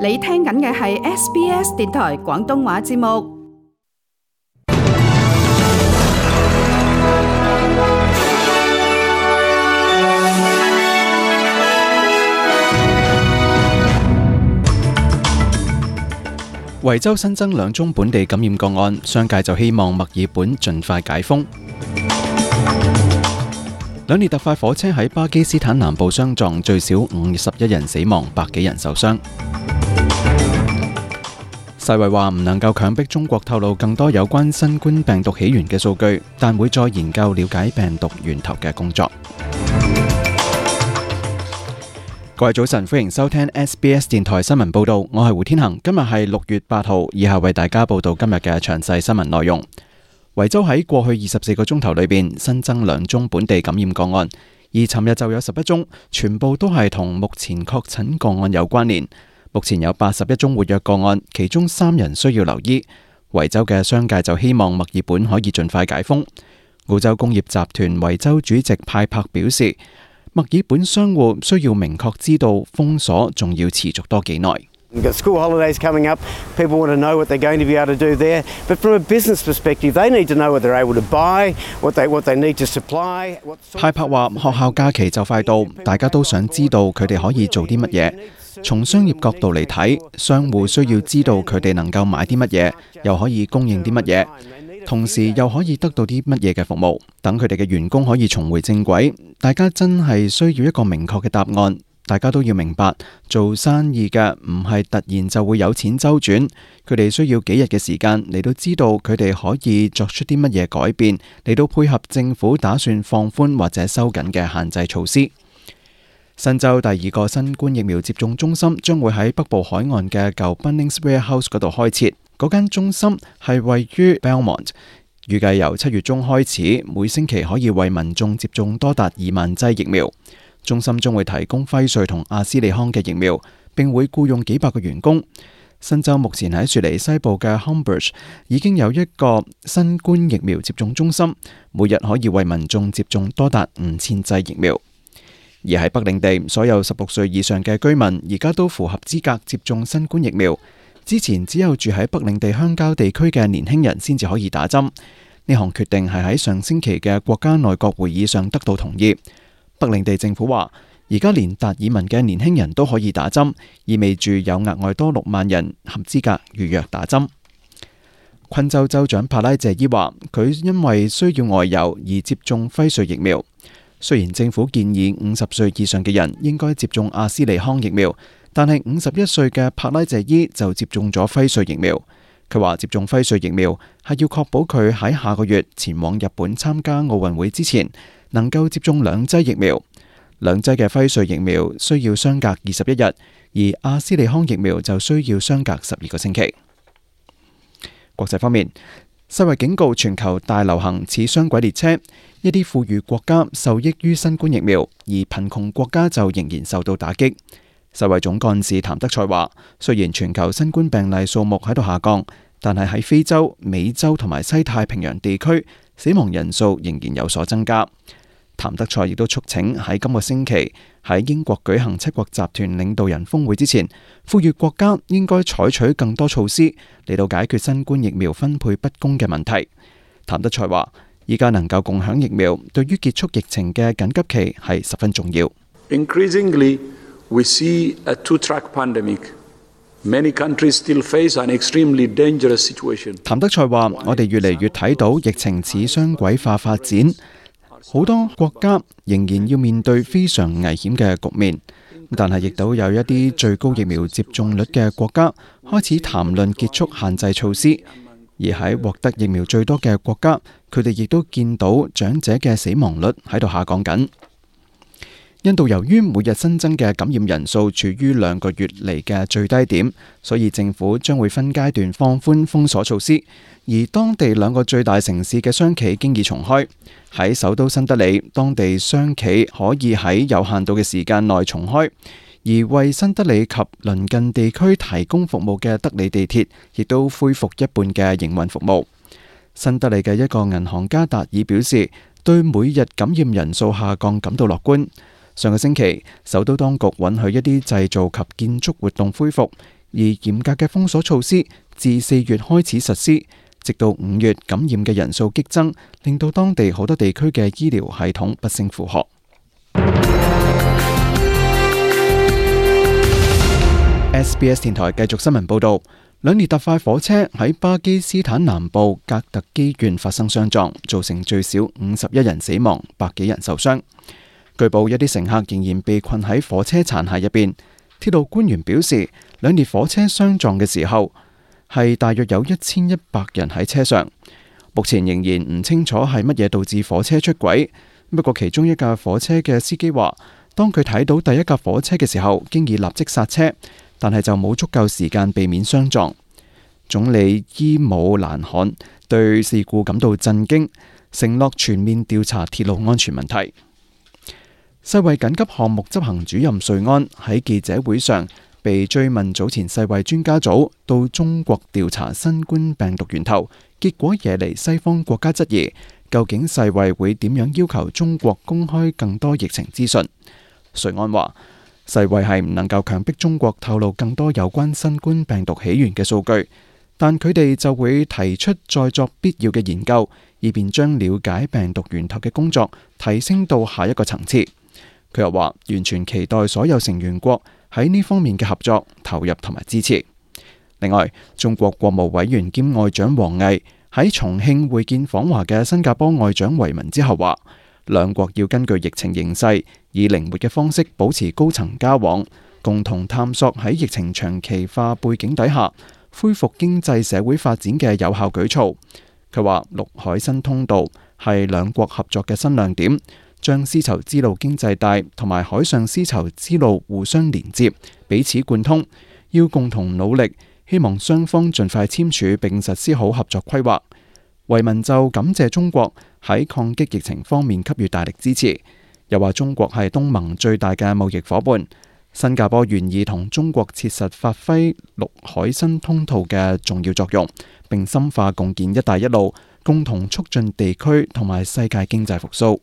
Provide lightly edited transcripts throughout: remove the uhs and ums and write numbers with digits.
你聽緊嘅係 SBS 電台廣東話節目。維州新增2宗本地感染個案，商界就希望墨爾本盡快解封。2列特快火車喺巴基斯坦南部相撞，最少51人死亡，100幾人受傷。世衛話唔能夠強迫中國透露更多有關新冠病毒起源嘅數據，但會再研究了解病毒源頭嘅工作。各位早晨，歡迎收聽 SBS 電台新聞報道，我係胡天恒。今日係6月8號，以下為大家報道今日嘅詳細新聞內容。維州喺過去24個鐘頭裏邊新增2宗本地感染個案，而尋日就有11宗，全部都係同目前確診個案有關聯。目前有81宗活躍個案，其中3人需要留醫。維州嘅商界就希望墨爾本可以盡快解封。澳洲工業集團維州主席派柏表示，墨爾本商戶需要明確知道封鎖仲要持續多幾耐。We've got school holidays coming up. People want to know what they're going to be able to do there. But from a business perspective, they need to know what they're able to buy, what they need to supply. 派柏話：學校假期就快到，大家都想知道佢哋可以做啲乜嘢。從商業角度嚟睇，商戶需要知道佢哋能夠買啲乜嘢，又可以供應啲乜嘢，同時又可以得到啲乜嘢嘅服務，等佢哋嘅員工可以重回正軌。大家真係需要一個明確嘅答案。大家都要明白，做生意嘅唔係突然就會有錢周轉，佢哋需要幾日嘅時間嚟到知道佢哋可以作出啲乜嘢改變，嚟到配合政府打算放寬或者收緊嘅限制措施。新州第2個新冠疫苗接種中心將會喺北部海岸嘅舊 Bunnings Warehouse 嗰度開設，嗰間中心係位於 Belmont， 預計由7月中開始，每星期可以為民眾接種多達2萬劑疫苗。中心將會提供輝瑞同阿斯利康嘅疫苗，並會僱用幾百個員工。新州目前喺雪梨西部嘅 Homebush 已經有一個新冠疫苗接種中心，每日可以為民眾接種多達5000劑疫苗。而喺北領地，所有16歲以上嘅居民而家都符合資格接種新冠疫苗。之前只有住喺北領地鄉郊地區嘅年輕人先至可以打針。呢項決定係喺上星期嘅國家內閣會議上得到同意。北領地政府話，而家連達爾文嘅年輕人都可以打針，意味住有額外多6萬人合資格預約打針。昆州州長帕拉謝伊話，佢因為需要外遊而接種輝瑞疫苗。雖然政府建議50歲以上嘅人應該接種阿斯利康疫苗，但係51歲嘅帕拉謝伊就接種咗輝瑞疫苗。佢話接種輝瑞疫苗係要確保佢喺下個月前往日本參加奧運會之前能夠接種2劑疫苗。2劑嘅輝瑞疫苗需要相隔21日，而阿斯利康疫苗就需要相隔12個星期。國際方面，世衛警告全球大流行似雙軌列車，一啲富裕國家受益於新冠疫苗，而貧窮國家就仍然受到打擊。世衛總幹事譚德塞話，雖然全球新冠病例數目喺度下降，但係喺非洲、美洲同埋西太平洋地區，死亡人數仍然有所增加。譚德塞亦都促請喺今個星期喺英國舉行7國集團領導人峰會之前，富裕國家應該採取更多措施嚟到解決新冠疫苗分配不公嘅問題。譚德塞話，依家能夠共享疫苗，對於結束疫情嘅緊急期係十分重要。Increasingly, we see a two-track pandemic. Many countries still face an extremely dangerous situation. 譚德塞話，我哋越嚟越睇到疫情似雙軌化發展。好多國家仍然要面對非常危險嘅局面，但係亦都有一啲最高疫苗接種率嘅國家開始談論結束限制措施，而喺獲得疫苗最多嘅國家，佢哋亦都見到長者嘅死亡率喺度下降緊。印度由於每日新增嘅感染人數處於2個月嚟嘅最低點，所以政府將會分階段放寬封鎖措施。而當地2個最大城市嘅商企經已重開。喺首都新德里，當地商企可以喺有限度嘅時間內重開。而為新德里及鄰近地區提供服務嘅德里地鐵，亦都恢復一半嘅營運服務。新德里嘅一個銀行家達爾表示，對每日感染人數下降感到樂觀。上個星期，首都當局允許一啲製造及建築活動恢復，而嚴格嘅封鎖措施自4月開始實施，直到5月感染嘅人數激增，令到當地好多地區嘅醫療系統不勝負荷。SBS 電台繼續新聞報導，兩列特快火車喺巴基斯坦南部格特基縣發生相撞，造成最少51人死亡，100幾人受傷。據報一啲乘客仍然被困喺火車殘骸入邊。鐵路官員表示，兩列火車相撞嘅時候係大約有1100人喺車上。目前仍然唔清楚係乜嘢導致火車出軌。不過其中一架火車嘅司機話，當佢睇到第一架火車嘅時候，經已立即剎車，但係就冇足夠時間避免相撞。總理伊姆蘭汗對事故感到震驚，承諾全面調查鐵路安全問題。世衛緊急項目執行主任瑞安喺記者會上被追問早前世衛專家組到中國調查新冠病毒源頭，結果惹嚟西方國家質疑，究竟世衛會點樣要求中國公開更多疫情資訊？瑞安話，世衛係唔能夠強迫中國透露更多有關新冠病毒起源嘅數據，但佢哋就會提出再作必要嘅研究，以便將了解病毒源頭嘅工作提升到下一個層次。佢又話，完全期待所有成員國喺呢方面嘅合作、投入同埋支持。另外，中國國務委員兼外長王毅喺重慶會見訪華嘅新加坡外長維文之後話，兩國要根據疫情形勢，以靈活嘅方式保持高層交往，共同探索喺疫情長期化背景底下恢復經濟社會發展嘅有效舉措。佢話，陸海新通道係兩國合作嘅新亮點，將絲綢之路經濟帶同埋海上絲綢之路互相連接，彼此貫通，要共同努力，希望雙方盡快簽署並實施好合作規劃。維文就感謝中國喺抗擊疫情方面給予大力支持，又話中國係東盟最大嘅貿易夥伴，新加坡願意同中國切實發揮陸海新通道嘅重要作用，並深化共建一帶一路，共同促進地區同埋世界經濟復甦。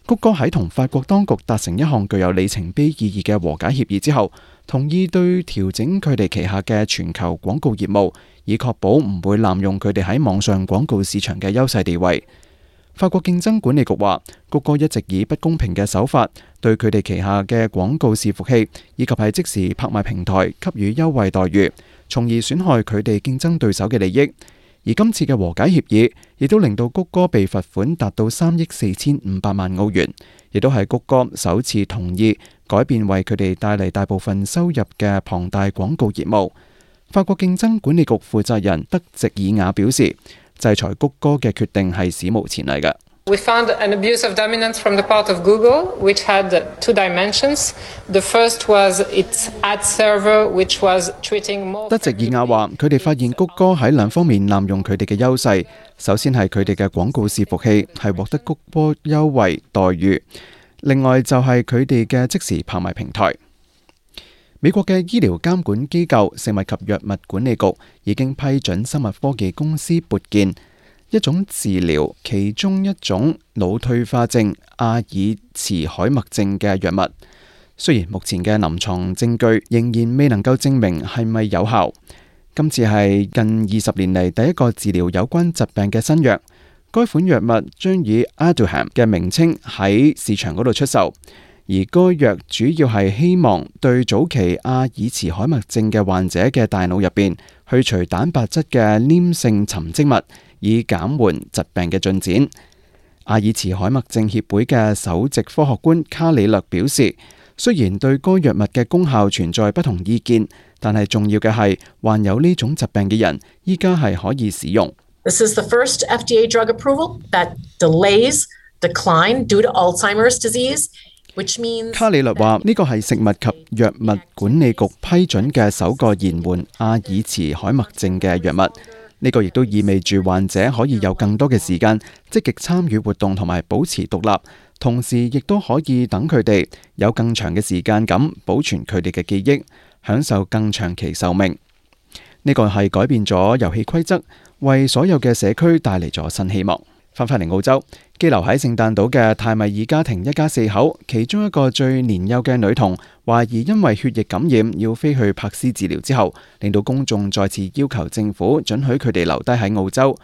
谷歌喺同法國當局達成一項具有里程碑意義嘅和解協議之後，同意對調整佢哋旗下嘅全球廣告業務，以確保唔會濫用佢哋喺網上廣告市場嘅優勢地位。法國競爭管理局話，谷歌一直以不公平嘅手法對佢哋旗下嘅廣告伺服器以及係即時拍賣平台給予優惠待遇，從而損害佢哋競爭對手嘅利益。而今次嘅和解協議亦都令到谷歌被罰款達到3億4500萬澳元，亦都係谷歌首次同意改變為佢哋帶嚟大部分收入嘅龐大廣告業務。法國競爭管理局負責人德席爾雅表示，制裁谷歌嘅決定係史無前例嘅。We found an abuse of dominance from the part of Google, which had two dimensions. The first was its ad server, which was treating more... 德席爾雅話，佢哋發現谷歌喺兩方面濫用佢哋嘅優勢。首先係佢哋嘅廣告伺服器係獲得谷歌優惠待遇，另外就係佢哋嘅即時拍賣平台。美國嘅醫療監管機構食物及藥物管理局已經批准生物科技公司撥健一種治療其中一種腦退化症阿爾茨海默症嘅藥物。雖然目前嘅臨床證據仍然未能夠證明係咪有效，今次係近20年嚟第一個治療有關疾病嘅新藥。該款藥物將以 Aduhelm 嘅名稱喺市場嗰度出售，而該藥主要係希望對早期阿爾茨海默症嘅患者嘅大腦入邊去除蛋白質嘅黏性沉積物，以減緩疾病嘅進展。阿爾茨海默症協會嘅首席科學官卡里略表示，雖然對該藥物嘅功效存在不同意見，但係重要嘅係患有呢種疾病嘅人依家係可以使用。This is the first FDA drug approval that delays decline due to Alzheimer's disease, which means 卡里略話呢個係食物及藥物管理局批准嘅首個延緩阿爾茨海默症嘅藥物。呢個亦都意味住患者可以有更多嘅時間積極參與活動同埋保持獨立，同時亦都可以等佢哋有更長嘅時間咁保存佢哋嘅記憶，享受更長期壽命。呢個係改變咗遊戲規則，為所有嘅社區帶嚟咗新希望。翻返嚟澳洲，羈留喺聖誕島嘅泰米爾家庭一家4口，其中一個最年幼嘅女童懷疑因為血液感染要飛去柏斯治療之後，令到公眾再次要求政府准許佢哋留低喺澳洲。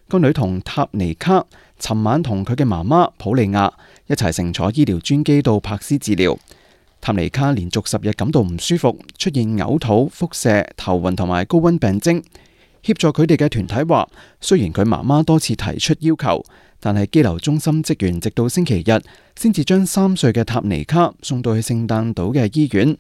個女童塔尼卡尋晚同佢嘅媽媽普利亞一齊乘坐醫療專機到柏斯治療。塔尼卡連續10日感到唔舒服，出現嘔吐、腹瀉、頭暈同埋高溫病徵。協助佢哋嘅團體話，雖然佢媽媽多次提出要求，但係羈留中心職員直到星期日先至將3歲嘅塔尼卡送到去聖誕島嘅醫院。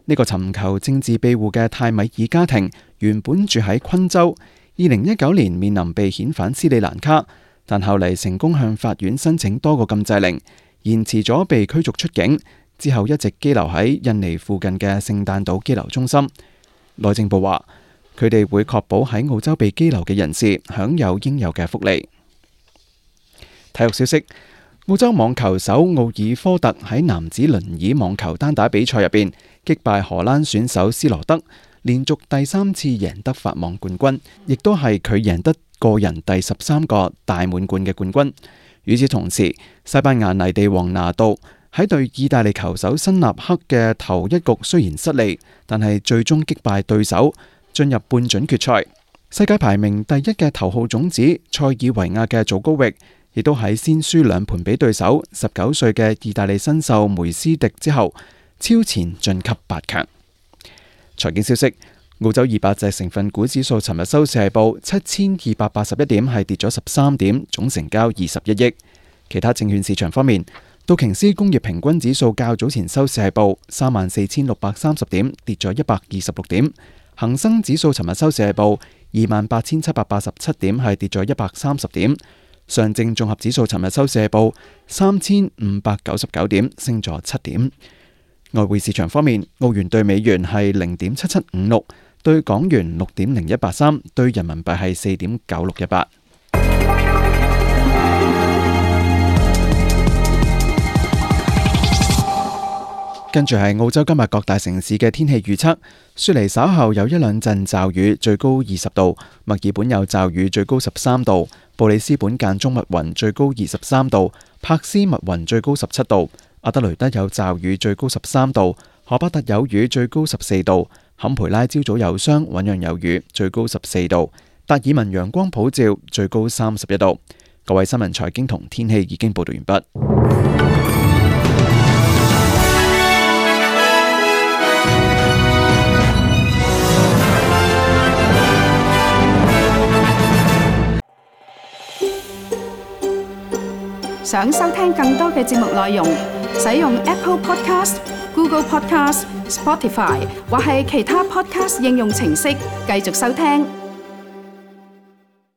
呢個尋求政治庇護嘅泰米爾家庭原本住喺昆州，2019年面臨被遣返斯里蘭卡，但後嚟成功向法院申請多個禁制令，延遲咗被驅逐出境，之後一直羈留喺印尼附近嘅聖誕島羈留中心。內政部話，佢哋會確保喺澳洲被羈留嘅人士享有應有嘅福利。體育消息：澳洲網球手奧爾科特喺男子輪椅網球單打比賽入邊擊敗荷蘭選手斯羅德，連續第3次贏得法網冠軍，亦都係佢贏得個人第13個大滿貫嘅冠軍。與此同時，西班牙泥地王拿度喺對意大利球手辛納克嘅頭一局雖然失利，但係最終擊敗對手，進入半準決賽。世界排名第1嘅頭號種子塞爾維亞嘅祖高域，亦都喺先輸2盤俾對手19歲嘅意大利新秀梅斯迪之後，超前晉級8強。財經消息：澳洲200隻成分股指數尋日收市係報7281點，係跌咗13點，總成交21億。其他證券市場方面，道瓊斯工業平均指數較早前收市係報34630點，跌咗126點。恒生指數尋日收市係報28787點，係跌咗130點。上證綜合指數尋日收市係報3599點，升咗7點。外匯市場方面，澳元對美元係0.7756，對港元6.0183，對人民幣係4.9618。跟住係澳洲今日各大城市嘅天氣預測：雪梨稍後有1兩陣驟雨，最高20度；墨爾本有驟雨，最高13度；布里斯本間中密雲，最高23度；珀斯密雲，最高17度；阿德雷德有驟雨，最高13度；荷巴特有雨，最高14度；坎培拉朝早有霜，醞釀有雨，最高14度；達爾文陽光普照，最高31度。各位新聞財經同天氣已經報道完畢。想收聽更多嘅節目內容，使用 Apple Podcast、Google Podcast、Spotify 或係其他 Podcast 應用程式繼續收聽。